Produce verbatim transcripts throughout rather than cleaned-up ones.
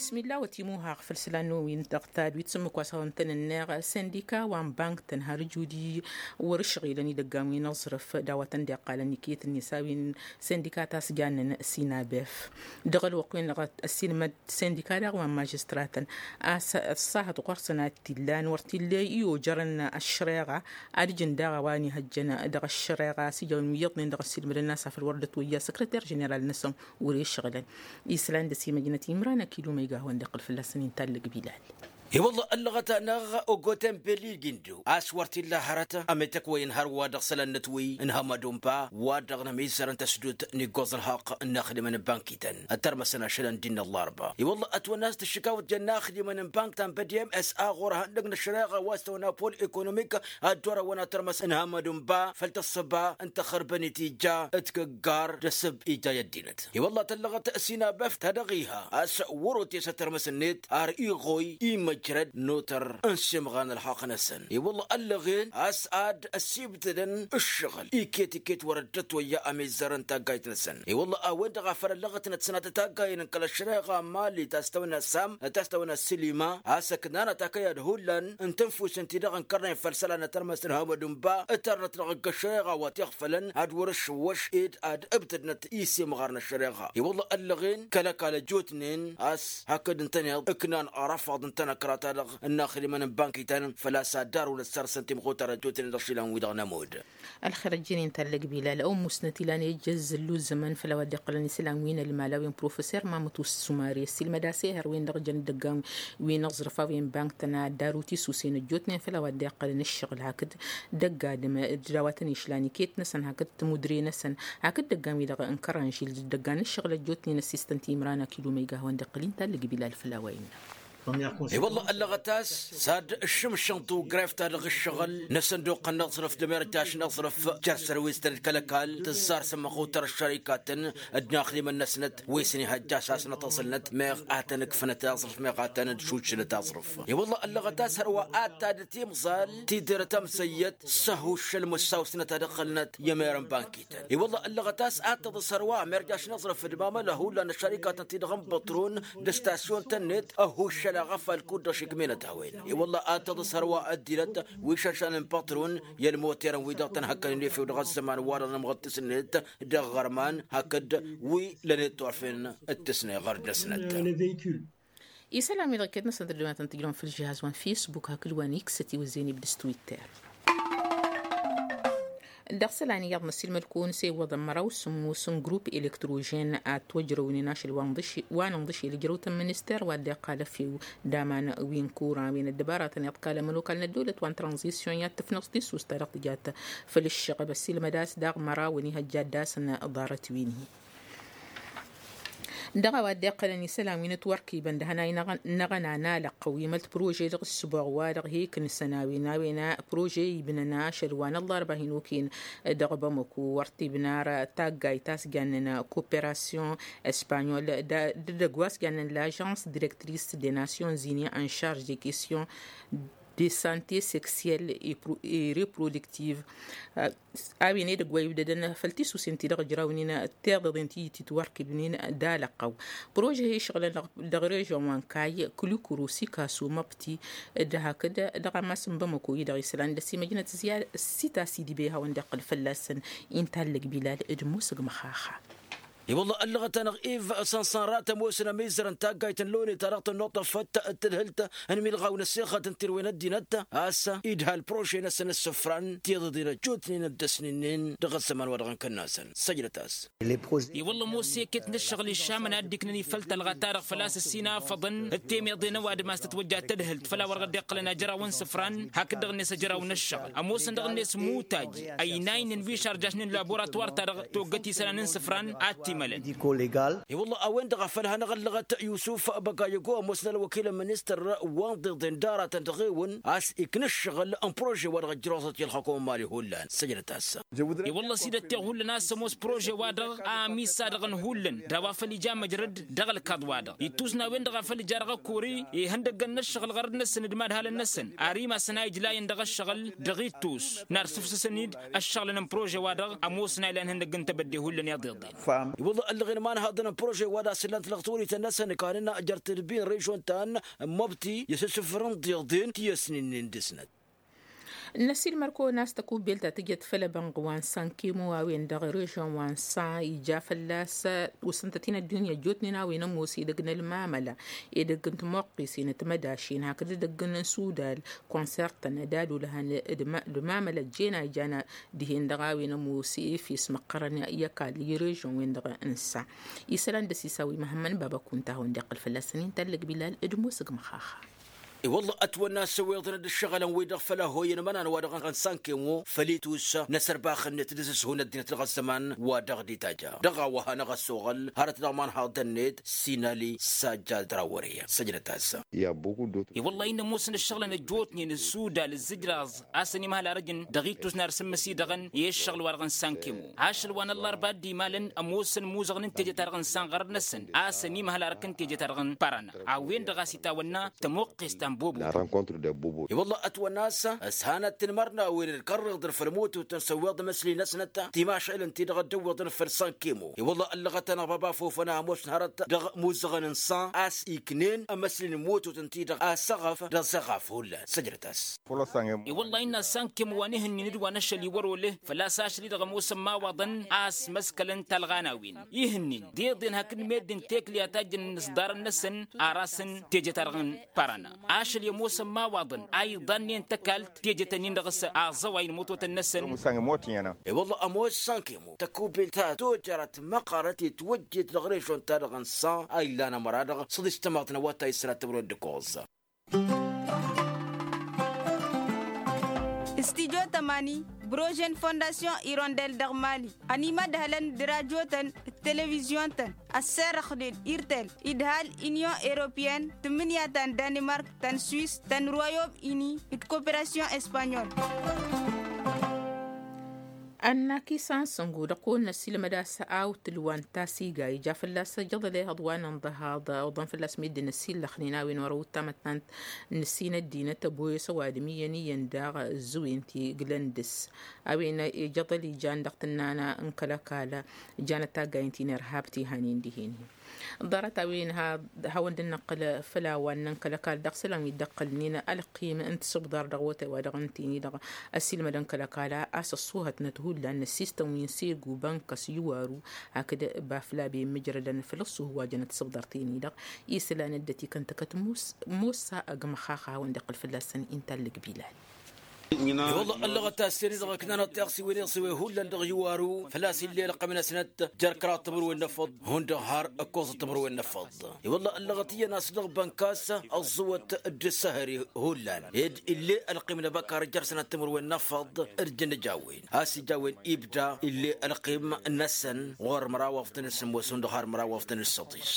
Bismillah wa timuhaɣ făll-islan n-wi n-tăɣtad wi t-sǝmmǝk wa s-hawăn-tăn-ǝnneɣ sindika wa n-bank-tăn har ǝjudi wăr-ǝšɣilăn idăggan wi n-aẓrǝf d-a-wa tăn-dd-iqqalăn iket-net a-wen sindika ta s-jannen sinabef. Dăɣ-ălwăqq-wen-dăɣ ăssiilmăd sindika daɣ wa n-mažistratăn a-s ăṣṣahăt ɣur-săn ad-t-illan wăr t-illa i-ojărăn ăššăreɣa. Ad-ǝjǝn daɣ a-wa n-ihăjjăn dăɣ-ăššăreɣa a-s ija a-wen wi iyyăḍnen dăɣ-ăssiilmădăn a-s afăl wăr dd-ătwăyya săkrăter ženeral-năsăn wăr-e ǝššăɣǝlăn. Islan dăr-s imăjnăt imran akilu ma iga a hawăn-dd-iqqǝl fălla-săn inta ǝllăg bilal. I-wălla ăllăɣăt-anăɣ ogoten belli gindu a-s wăr t-illa hărăt ămetăkwăyăn hărwa dăɣ-isălan-năt wi n-hămădun ba wa-dăɣ n-ămizzărăn tăsdut n-iggoẓ ălhăqq n-inaxdimăn n-bankităn ăttărmăsăn ašălăn dd-innă ăllarba. I-wălla ătwănna a-s tǝššǝkawăt jănna inaxdimăn n-banktan bădiyăm s-a ɣur-ehăndăg n-ăššăreɣa wa s-tăwănna pol ekonomik ad-dd-orăwăn ad-tărmăs n-hămădun ba făll-tăssăba n-tăxărbănit ija d-kăggar d-asǝb ija i-ăddinăt. I-wălla tăllăɣăt sinabeft ta dăɣ-iha a-s wăr-otesăt tărmăs-net ar iɣoy imăjrăd n-otăr n-simɣan ălxaqq-năsăn. I-wălla ăllăɣen a-s ad-ăsibtădăn ǝššăɣǝl iket-iket wăr-dd-ătwăyya ămizzărăn taggayt-năsăn. I-wălla a-wen-dăɣ a făl ăllăɣătnăt sănatăt taggayăn n-kăl-ăššăreɣa n-mali ta s-tăwănna sam ta s-tăwănna sǝlima a-s ăknanăt akăyad hullan n-tǝnfusăn-ti-dăɣ ǝnkărnen făll-isălan n-tărmăst n-hămădun ba ǝtărnăt dăɣ-ăgg-ăššăreɣa wa t-iɣfălăn ad-wăr-ǝššǝwwăš ed ad-ǝbtădnăt isimɣar n-ăššăreɣa. I-wălla ăllăɣen kăl-ăkall ăjjootnen a-s hakd ǝntăneḍ ǝknan arăfaḍ n-tanăkra-ta-dăɣ n-inaxdimăn n-bankităn făl-a-s ad-darǝwăn ăssărsăn timɣutar ăjjootnen dăɣ-išilan-wi-dăɣ n-ămudd. Ălxer ăjjeen inta ăllăg bilal ăwmusnăt ilan i-ăjjăzzăllu ăzzăman făll-a-wa dd-iqqălăn isălan wi n-ălmal a-wen professor mamăt usumari ăssiilmăd-as ehăr-wen-dăɣ jăn dd-ăggan wi n-aẓrǝf a-wen bankǝtăn ad-daru tisusen ăjjootnen făll-a-wa dd-iqqălăn ǝššăɣǝl hakd dăgg-adǝm d-a-wa tăn-išlan iket-năsăn hakd timudre-năsăn hakd dăggan-wi-dăɣ n-kărănžil d-dăggan ǝššăɣǝl ăjjootnen ăssistăn timran akilu ma iga a hawăn-dd-iqqăl inta ăllăg bilal făll-a-wa innă. I-wălla ăllăɣăt-as s-ad-ǝššǝmšǝnḍu gref-ta-dăɣ ǝššăɣǝl n-asănduq n-aẓrǝf d-amerjaš n-aẓrǝf jer-sărwistăn d-kăl-ăkall tǝzzar s-ămmăɣutăr ăššărikatăn d-inaxdimăn-năsnăt wi s-nihăjja s-asnăt aẓǝlnăt meɣ ad-tăn-ǝkfǝnăt aẓrǝf meɣ ad-tăn-dd-šuššǝlăt aẓrǝf. I-wălla ăllăɣăt-as hărwa ad-tadǝt imẓal tidǝrăt ămsăyyăt s-ăhuššăl măssaw-snăt ad-ǝqqǝlnăt i-emer n-bankităn. I-wălla ăllăɣăt-as ad-tăḍǝs hărwa amerjaš n-aẓrǝf d-mamăla hullan ăššărikatăn-ti-dăɣ n-băṭrun d-ăstasyon-tăn-net ăhuššăl aɣăfal kud-dăɣ šikminăt a-wen. I-wălla ad-tăḍǝs hărwa ăddinăt wi šăršan n-băṭrun i-ălmoterăn-wi-dăɣ tăn-hăkkănen efew dăɣ-ăzzăman-wa-dăɣ n-amɣăttǝs-net dăɣ-iɣărman hakd wi lăn-iṭṭurfen d-tǝsne ɣărd-năsnăt. Isălan-wi-dăɣ iket-năsăn tăddămatăn tǝjrăwăn făll-žihaz wa n-fisbuk hakd wa n-iksăt iwǝzzeyăn ibdǝs twitter. Dăɣ-isălan iyyăḍ n-ăssiilmăd-kăwăn s-e iwwăḍăn măraw s-sǝmmos n-grup elektrožen ad-t-wăjrăwnen ašăl wa n-ḍǝšel ǝjrăw-tăn minister wa dd-iqqal ăfew d-aman wi n-kura wi n-ăddăbaratăn iḍkalăm ălwăkal n-ăddăwlăt wa n-tranzisyon i-ad-tǝfnăẓ tissust ta dăɣ-tǝjat făll-ǝššăɣăb ăssiilmăd-as daɣ măraw n-ihăjja ad-dd-asăn ḍarăt-win-hi. Dăɣ-a-wa dd-iqqălăn isălan wi n-ătwărkibăn d-hănay n-aɣăna n-alăqqăw imălt prože dăɣ-ǝssǝboɣ wa dăɣ-hi-iknǝsăn a-wen a-wen prože ibnăn ašăl wa n-ăllarba hin-okăyăn dăɣ-bamăko wăr t-ibnar taggayt ta s-jannen koperasyon ăspanyol d-edăgg wa s-jannen lažans direktris de nasyon zini en šarž de kestyon. de sante seksiyel e reprodiktiv. A-wen edăgg wa ibdădăn făll-tisusen-ti-dăɣ ǝjrawnen tiḍeḍen ti titwărkibnen d-alăqqăw. Prože-hi ǝššăɣǝlăn dăɣ-režon wa n-kayy kǝlukǝru sikasu măbti d-hakd dăɣ-amas n-bamăko-i-dăɣ isălan d-ăsimăjnăt ziyad sita s-idibey hawăn-dd-iqqǝl fălla-săn. Inta ăllăg bilal d-musǝg măxaxa. I-wălla ăllăɣăt-anăɣ iv s-ănṣan ratăm osăn ămizăr n-taggayt n-lone ta dăɣ-tănnuṭṭăfăt d-tadhǝlt n-imilɣaw n-ăssixăt n-tirwen ăddinăt a-s idha ălprože-năsăn ăssǝfran tiḍeḍen ăjjootnen d-ăsnǝnnen dăɣ-ăzzăman wa dăɣ-inkănnasăn săjdăt-as. I-wălla ămoos iket n-ǝššăɣǝl išamăn a dd-iknăn ifăl talɣa-ta-dăɣ făl-a-s ăsinafăḍăn d-temeḍe n-ăwadǝm a-s tătwăjja tadhǝlt făll-a-wăr dăɣ-dd-iqqălăn ajăraw n-isǝfran hakd-dăɣ-net ajăraw n-ǝššăɣǝl ămoosăn dăɣ-net muttaj ăynaynen wi šarjašnen laboratwar-ta-dăɣ toggăt isălan n-isǝfran ad-t-imălăn. I-wălla a-wen-dăɣ a făl hanăɣ-ăllăɣăt yusuf băgayăgo ămoosăn ălwăkil n-ministăr wa n-iḍeḍen d-aratăn dăɣ-ewăn a-s ikna ǝššăɣǝl n-prože-wa-dăɣ ăjrăwăẓăt i-ălxăkom n-imali hullan săjdăt-as. I-wălla s-dd-ătteɣ hullan a-s ămoos prože-wa-dăɣ a ămissad dăɣ-n hullan d-a-wa făl ija măjrăd dăɣ-ălkaḍ-wa-dăɣ ittus n-a-wen-dăɣ a făl ija dăɣ-ăkori ihăndăggăn n-ǝššăɣǝl ɣărăt-năsăn d-imadhalăn-năsăn ar imas n-a ijlayăn dăɣ-ǝššăɣǝl dăɣ-ittus n-ar sǝfsǝsăn-dd ǝššăɣǝlăn n-prože-wa-dăɣ ămoosăn a ilan ihăndăgg n-tebădde hullan iḍeḍen. I-wălla ăllăɣen imanhaḍăn n-prože-wa d-a-s ǝllan-t dăɣ-tawrit-năsăn kanen jer-tedbi n-režon ta n-măbti i-asǝssǝfrăn d-iḍen ti ăsnǝnnen dăr-snăt. N-ăsilmăr-kăwăn a-s tăkubbelt ta tǝjăt făll-ebănɣ wa n-sankemo a-wen dăɣ-režon wa n-sa ija fălla-s usǝntăt-in ăddunya ăjjootnen a-wen ămoos edăgg n-ălmamăla edăgg n-timoqqesen d-timădašen hakd edăgg n-sudal konsert-tăn d-ad-olăhăn d-mamăla ăjjeen a ijan dihen-dăɣ a-wen ămoos efes măqqărăn i-ăkall i-režon-wen-dăɣ n-sa. Isălan d-ăsisaw i-măhămmăn baba kunta a hawăn-dd-iqqǝl fălla-săn inta ăllăg bilal d-musǝg măxaxa. I-wălla ătwănna s-ăwweḍăn d-ǝššăɣǝlăn-wi-dăɣ făll-ahoyăn imănan wa dăɣ-n sankemo făll-itus n-asărbax-net d-asǝshun ăddinăt dăɣ-ăzzăman wa dăɣ-dd-itajja dăɣ-a-wa hanăɣ-ăssoɣăl hărăt dăɣ-imanhaḍăn-net sinali sajjad rawăre săjdăt-as. I-wălla-i n-ămoosăn ǝššăɣǝlăn ăjjootnen ǝssudal ǝzzǝjraẓ a-s ănimhăl arăjăn dăɣ-ittus n-ar sǝmmǝs-i-dăɣ i-ǝššăɣǝl-wa-dăɣ n-sankemo ašăl wa n-ăllarba a dd-imalăn ămoosăn imuzăɣăn n-teje-ta-dăɣ n-sanɣărăd-năsăn a-s ănimhăl arăk n-teje-ta-dăɣ n-parana a-wen-dăɣ a-s itawănna tămoqqest ta n-bobo. I-wălla ătwănna a-s ăshanăt tinmărnawen d-kărriḍăn făll-mututăn s-ăwweḍ imăsli-năsnăt timašălăn-ti-dăɣ dd-ăwweḍăn făll-sankemo i-wălla ăllăɣăt-anăɣ baba fofăn a ămoosăn hărăt dăɣ-imuzăɣăn n-san a-s iknen amăsli n-mututăn-ti-dăɣ asăɣăf d-aẓăɣaf hullan săjdăt-as. I-wălla innă sankemo wa n-ihǝnnin d-wa n-ašăl iwăr-oleh făl-a-s ašăl-i-dăɣ ămoosăn imawaḍăn a ăsmăskălăn talɣa n-a-wen ihǝnnin d-iḍen hakd meddǝn tekli a tajjăn n-isḍarăn-năsăn ar asăn teje-ta-dăɣ n-parana ašăl i-ămoosăn imawaḍăn a iḍannen tăkalt teje-tăn-in-dăɣ s-aẓăway n-imutotăn-năsăn. I-wălla ămoos sankemo tăkubelt ta tojărăt măqqărăt itwăjjet dăɣ-režon-ta-dăɣ n-san a illan ămăra-dăɣ s-dd-istămaḍ n-awătay s-ra tămrăwăt d-ăkoẓ. Studyo tămani brožen fondasyon irondel dăɣ-mali ănimădhălăn d-rajotăn d-televizyon-tăn ăsserăxnen irtel idhal inyon europeyăn tǝmmǝnǝya ta n-danimark ta n-swis ta n-royom ini d-koperasyon espanyol. Ănnak isan săngu dăɣ-kăwăn-năsilmăd a-s awtǝl wa n-tasiga ija fălla-s ăjăḍăl ehăḍ wa n-inḍăhaḍ oḍăn fălla-s meddǝn ăsillăxnen a-wen wăr-ăwwǝt tamăttant n-ǝssin ăddinăt ăboyăs ăwadǝm iyyăn iyyăn daɣ ǝzzǝwen ti glăn dăr-s a-wen ijăḍăl ijan dăɣ-tǝnnană n-kăl-ăkall janăt taggayen ti n-irhab ti hanen dihen-hi. Ḍarăt a-wen hawăn-dd-năqqǝl făll-a-wa n-nănkăl ăkall dăɣ-isălan wi dd-ăqqălnen ălqim n-tisǝbḍar dăɣ-awătay wa dăɣ-ǝnta-en-i-dăɣ ăsilmădăn kăl-ăkall a-s ăṣṣuhătnăt hullan n-ăssistăn wi n-segu bănkăs iwaru hakd baflabe mǝjrădăn făll-ăṣṣuh wa jăn tisǝbḍar-ten-i-dăɣ. Isălan ăddăt ikăn tăkăt musa ăgg măxaxa a hawăn-dd-iqqǝl fălla-săn inta ăllăg bilal. I-wălla ăllăɣăt a-s ten-i-dăɣ ǝknanăt tiɣsiwen iɣsǝwe hullan dăɣ-iwaru făl-a-s ill'-e ălqăm-năsnăt jer-kăraḍ timǝrwen n-efăḍ hundăɣ har ǝkkoẓăt timǝrwen n-efăḍ. I-wălla ăllăɣăt iyyăn a-s dăɣ-bănkas ăẓẓǝwăt d-ǝssăhări hullan ed ill'-e ălqim n-ebăkar jer-sănat timǝrwen n-efăḍ d-jăn ija a-wen a-s ija a-wen ibda ill'-e ălqim-năsăn ɣur-măraw afḍăn d-sǝmmos hundăɣ har măraw afḍăn d-săḍis.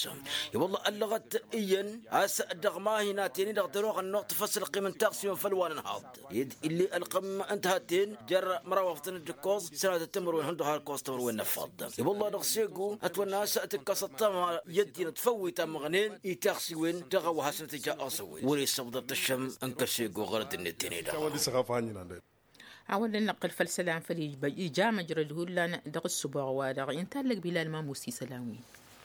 I-wălla ăllăɣăt iyyăn a-s dăɣ-mahin a ten-i-dăɣ dăr-oɣăn n-oḍfăs ălqim n-taɣsiwen făll-wa n-ǝnhaḍ ed ill'-e Ălqǝm n-tihatten jer-măraw afḍăn d-ǝkkoẓ sănatăt timǝrwen hundăɣ har ǝkkoẓ timǝrwen n-ăffaḍ. I-wălla dăɣ-segu ătwănna a-s tǝkkăsăt tama i-ăddinăt făw itam măɣnen itaxsiwen dăɣ-a-wa hasăn-tǝja aẓăwwen wăr-e ǝssăbḍăr tǝššăm n-kăl-segu ɣărăt-net-ten-i-dăɣ. A-wa dd-năqqǝl făll-isălan făll-ija măjrăd hullan dăɣ-ǝssǝboɣ-wa-dăɣ intallăg bilal mamus isălan-win.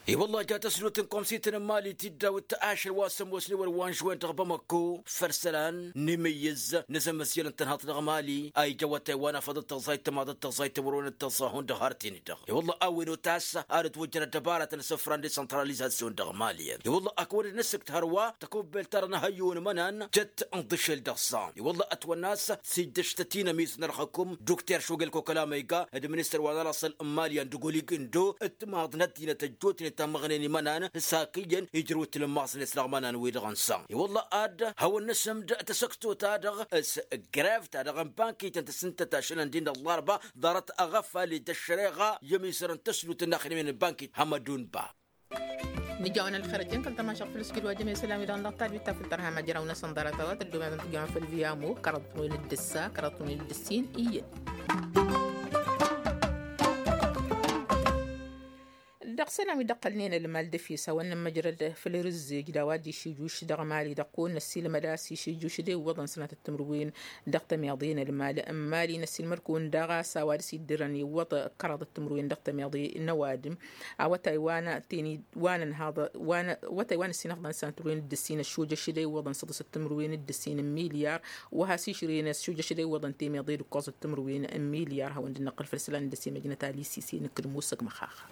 I-wălla ja tăsnut n-komsităn n-mali tiddawt ašăl wa s-ămoosnen wăr-wanžwen dăɣ-bamăkko făll-isălan n-imǝyyǝz n-azămmăsyăl n-tănhăḍt dăɣ-mali a ija awătay wa n-afăḍăt tăẓẓayt tămaḍăt tăẓẓayt timǝrwen d-tăẓẓa hundăɣ har tini-dăɣ. I-wălla a-wen otas arăt wăjjăn ăddăbaratăn s-ǝfran desăntralizasyon dăɣ-mali. I-wălla ak wăr-dd-nǝsǝkt hărwa tăkubbelt-ta-dăɣ n-ehăyyu n-imănan jăt n-iḍǝšel dăɣ-san i-wălla ătwănna a-s s-ijjăš tăt-inămis n-ărxăkum dukter šugel kokalama iga d-ministăr wa n-ălăṣṣăl n-mali andugulig ǝndo d-timaḍ n-ăddinăt ăjjootnen ta măɣnen imănan s-hak iyyăn ijrǝw d-tilǝmmaẓnet dăɣ-imănan-wi-dăɣ n-san i-wălla ad-hawăn-nǝsǝmd tasăkto-ta-dăɣ s-grev-ta-dăɣ n-bankităn tǝssǝntăt ašăl n-din d-ăllarba ḍarăt aɣăfal d-ăššăreɣa i-ămisăr n-tăslut n-inaxdămen n-bankit hămădun ba. Nǝjawăn ălxer ăjjăn kăl-tamašăɣt făll-sǝjǝd wa jămesălan wi-dăɣ n-dăɣ-talbit ta făll-tărha ma jăraw-năsăn ḍarăt a-wa tăddumem n-tijăwăn făll-viamo kăraḍăt n-win d-ǝssa kăraḍăt n-win d-ǝssin iyyăn. Dăɣ-isălan wi dd-ăqqălnen ălmal d-efes hawăn-nămmăjrăd făll-rǝzzej d-a-wa dd-išijjuš dăɣ-mali dăɣ-kăwăn-năssiilmăd a-s išijjuš d-e iwwăḍăn sănatăt timǝrwen dăɣ-tămiḍe n-ălmal n-mali năssiilmăd-kăwăn daɣ a-s a-wa dăr-s iddǝrăn iwwăḍ kăraḍăt timǝrwen dăɣ-tămiḍe n-ăwadǝm. Awătay wa n-teni wa n-ănhaḍ wa n-awătay wa n-ăssinăfḍăn sănatăt timǝrwen d-ǝssin ăššujăš d-e iwwăḍăn săḍǝsăt timǝrwen d-ǝssin n-milyar. Wa has-išrǝyăn ăššujăš d-e iwwăḍăn temiḍe d-ǝkkoẓăt timǝrwen n-milyar hawăn-dd-năqqǝl făll-isălan n-dăsemăjnăt alisise nǝkkǝd musăg măxaxa.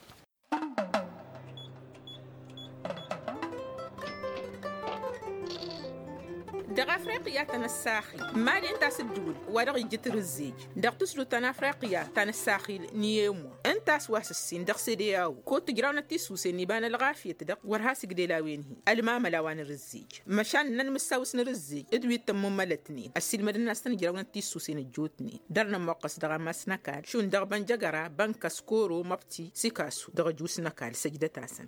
Dăɣ-afriqya tănăssaxi mali ǝnta a-s ǝddǝwǝl wa dăɣ-ijjǝt rǝzzej dăɣ-tǝsdut ta n-afriqya ta n-ăssaxil n-iyemwa ǝnta a-s wa s-ǝssin dăɣ-sede a-wen kud tǝjrawnăt tissuse n-iba n-ălɣafyăt-dăɣ wăr has-ǝgdel a-wen-hi ălmamăl a-wa n-rǝzzej. Măšan ǝnnăn mǝssawǝs n-rǝzzej d-wi t-ămmummălătnen ăssiilmădăn a-s tăn-ǝjrawnăt tissuse n-ăjjootnen dăr-nămmoqqăs dăɣ-amas n-ăkall šund dăɣ-bănjăgăra bănka s-koro măbti s-ikasu dăɣ-ăjuss n-ăkall săjdăt-asăn.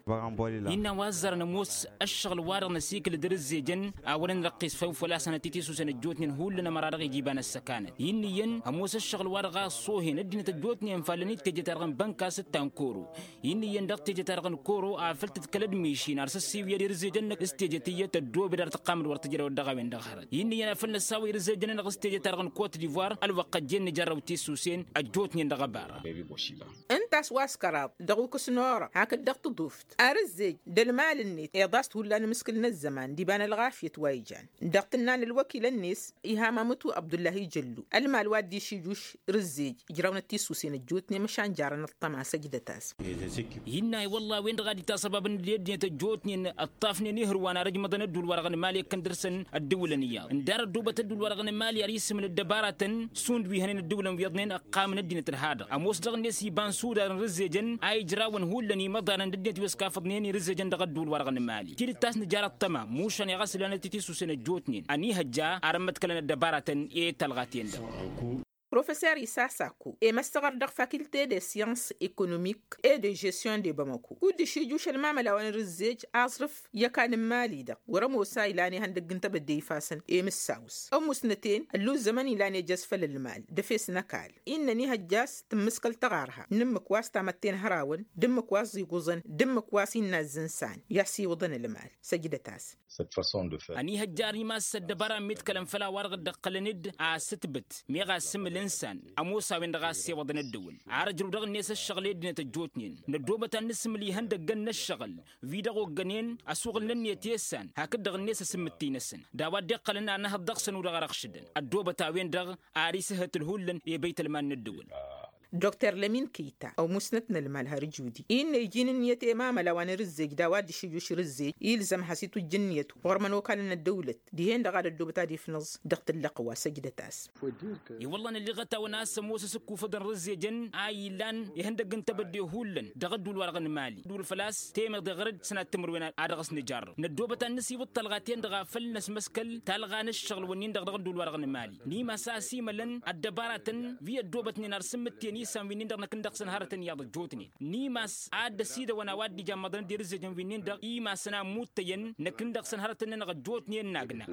Innă wa ăzzărăn ămoos ăššăɣǝl-wa-dăɣ n-ăsikǝl d-rǝzzejăn a wăren răqqis făw făl-a-s ănătitisusen ăjjootnen hullan ămăra dăɣ-ijibăn ăssăkanăt innă iyyăn ămoos ăššăɣǝl-wa-dăɣ a ăṣṣoohen ăddinăt ăjjootnen falăn-dd teje-ta-dăɣ n-bănka s-ǝttan koro. Innă iyyăn dăɣ-teje-ta-dăɣ n-koro a făl tǝdkăl d-mišin ar s-ăssiwǝyăd irǝzzejăn-năk s-teje tiyyăt ăddoobed ar tǝqqamăd wăr tǝjrăwăd dăɣ-a-wen-dăɣ hărăt innă iyyăn a făl năssawăy irǝzzejăn-nănăɣ s-teje-ta-dăɣ n-kot divoir ălwăqq ăjjeen nǝjărrăw tissuse ăjjootnen dăɣ-ăbara. Ǝnta a-s wa s-kăraḍ dăɣ-ukǝs n-orăɣ hakd dăɣ-tǝḍuft ar ǝzzej d-ălmal-net iḍas-t hullan imǝskǝl n-ăzzăman d-iba n-ălɣafyăt wa ijan dăɣ-tǝnna n-ălwăkil-net iha mamǝtu abdullahi jăllu ălmal wa dd-išijjuš rǝzzej ǝjrawnăt tisusen ăjjootnen măšan jarăn ăṭṭăma săjdăt-as. Innă i-wălla a-wen-dăɣ a dd-itasăbabăn d-ăddinăt ăjjootnen ǝṭṭafnen ihǝrwan ar ǝjmăḍăn ădduul-wa-dăɣ n-mali ǝkkăn dăr-săn ăddǝwǝlăn iyyăḍ ǝndar ăddoobăt ădduul-wa-dăɣ n-mali ar isǝmǝl ăddăbaratăn šund wi hănen ăddǝwǝlăn wi iyyăḍnen ăqqamăn ăddinăt ălhadăɣ ămoos dăɣ-net iba n-sudar n-rǝzzejăn a ijrawăn hullan imăḍanăn d-ăddinăt wi ăskafăḍnen irǝzzejăn dăɣ-ădduul-wa-dăɣ n-mali tidǝt a-s nǝjar ăṭṭăma mušan iɣăsǝl anăt itissusen ăjjootnen ănihăjja ar ămmăḍkălăn ăddăbaratăn i-talɣa-ten-dăɣ. Professor isasako i-măssăɣăr dăɣ-faculté de science économique et de gestion de bamako kud-dd-išijjuš ălmamăla wa n-rǝzzej aẓrǝf i-ăkall n-mali-dăɣ wăr-ămoos a ilan ihăndăgg n-tebădde ifasăn i-mǝssawǝs ămmusnăten ălluzzămăn ilan ejăz făll-ălmal d-efes n-ăkall innă ănihăjja a-s tǝmmǝskăl tăɣarha n-ǝmmǝk wa s-tamătte n-hărawăn d-ǝmmǝk wa s-iguẓăn d-ǝmmǝk wa s-innă azzǝnsan i-ad-siwǝḍăn ălmal săjdăt-as. Ănihăjjar imass ăddăbara ămmiḍkălăn făll-a-wa-dăɣ dd-ăqqălăn-dd asǝtbǝt meɣ asǝmǝl n-isan ămoos a-wen-dăɣ a ăssewăḍăn ăddăwǝl ar ǝjrǝw dăɣ-net ăššăɣǝl i-ăddinăt ăjjootnen năddoobăt ad-nǝsǝmǝl ihăndăggăn n-ăššăɣǝl wi-dăɣ oggănen asuɣǝl n-ǝnniyăt i-ăssan hakd-dăɣ-net asǝmmǝttǝy-năsăn d-a-wa dd-iqqălăn anăhăḍ dăɣ-săn u-dăɣ răɣšǝdăn ăddoobăt a-wen-dăɣ ar isǝhhăt ǝlhullăn i-băytălman n-ăddăwǝl. Dr lămin kăyta ăwmusnăt n-ălmal har ǝjudi innă iji n-ǝnniyăt i-mamăla wa n-rǝzzej d-a-wa dd-išǝjjuš rǝzzej ilzăm has-itwǝjj ǝnniyăt ɣur-imănokalăn n-ăddăwlăt dihen-dăɣ ad-ăddoobăt ad-ifnǝẓ dăɣ-tǝllăqwa săjdăt-as. I-wălla nălliɣăt-awăn a-s ămoos asǝkkufăḍ n-rǝzzejăn a ilan ihăndăgg n-tebădde hullan dăɣ-ădduul-wa-dăɣ n-mali ădduul făl-a-s temeḍe ɣăr-dd sănat timǝrwen a dăɣ-s nǝjarrăw năddoobăt ad-nǝsiwǝḍ talɣa-ten-dăɣ a făl năsmăskăl talɣa n-ǝššăɣǝl-wǝnnin-dăɣ dăɣ-ădduul-wa-dăɣ n-mali n-imas a ăsimălăn ăddăbaratăn wi ăddoobătnen ar sǝmmǝtten. Isăn wi-nin-dăɣ năkk-in-dăɣ săn hărătăn iyyăḍ ăjjootnen n-imas ad-dd-ăsidăwăn a-wa dd-ijammăḍăn d-irǝzzejăn wi-nin-dăɣ imasăn a ǝmmutăyăn năkk-in-dăɣ săn hărătăn-nănăɣ ăjjootnen n-agna.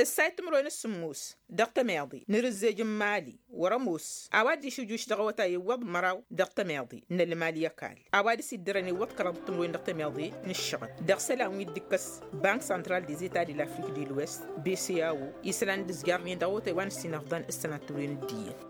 Ǝssay timǝrwen s-sǝmmos dăɣ-tămeḍe n-irǝzzej n-imali wăr-ămoos a-wa dd-išǝjjuš dăɣ-awătay iwwăḍ măraw dăɣ-tămeḍe n-ălmal i-ăkall a-wa dăɣ-s iddărăn iwwăḍ kăraḍăt timǝrwen dăɣ-tămeḍe n-ǝššăɣǝl dăɣ-isălan wi dd-ǝkkăs bank santral dizeta de lafrik de lwest bcao isălan dd-ǝzjarnen dăɣ-awătay wa n-ǝssinăfḍăn s-sănatăwren d-iyyăn.